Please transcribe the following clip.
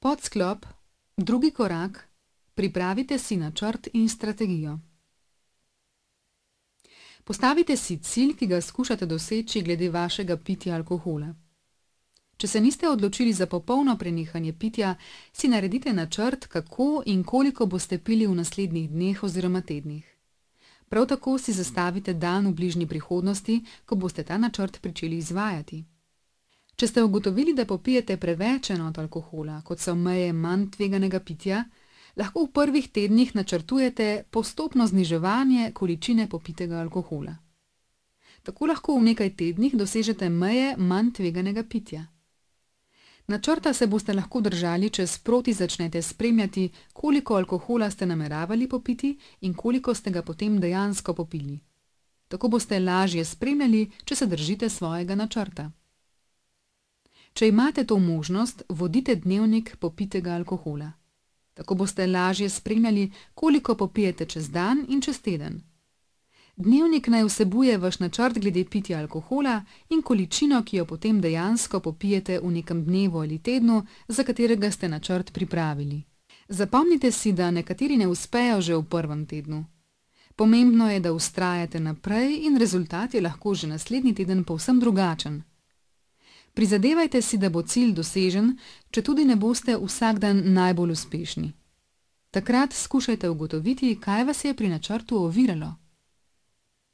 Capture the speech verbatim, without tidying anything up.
Podsklop, drugi korak, pripravite si načrt in strategijo. Postavite si cilj, ki ga skušate doseči glede vašega pitja alkohola. Če se niste odločili za popolno prenehanje pitja, si naredite načrt, kako in koliko boste pili v naslednjih dneh oziroma tednih. Prav tako si zastavite dan v bližnji prihodnosti, ko boste ta načrt pričeli izvajati. Če ste ugotovili, da popijete preveč enot alkohola, kot so meje manj tveganega pitja, lahko v prvih tednih načrtujete postopno zniževanje količine popitega alkohola. Tako lahko v nekaj tednih dosežete meje manj tveganega pitja. Načrta se boste lahko držali, če sproti začnete spremljati, koliko alkohola ste nameravali popiti in koliko ste ga potem dejansko popili. Tako boste lažje spremljali, če se držite svojega načrta. Če imate to možnost, vodite dnevnik popitega alkohola. Tako boste lažje spremljali, koliko popijete čez dan in čez teden. Dnevnik naj vsebuje vaš načrt glede pitja alkohola in količino, ki jo potem dejansko popijete v nekem dnevu ali tednu, za katerega ste načrt pripravili. Zapomnite si, da nekateri ne uspejo že v prvem tednu. Pomembno je, da vztrajate naprej in rezultat je lahko že naslednji teden povsem drugačen. Prizadevajte si, da bo cilj dosežen, če tudi ne boste vsak dan najbolj uspešni. Takrat skušajte ugotoviti, kaj vas je pri načrtu oviralo.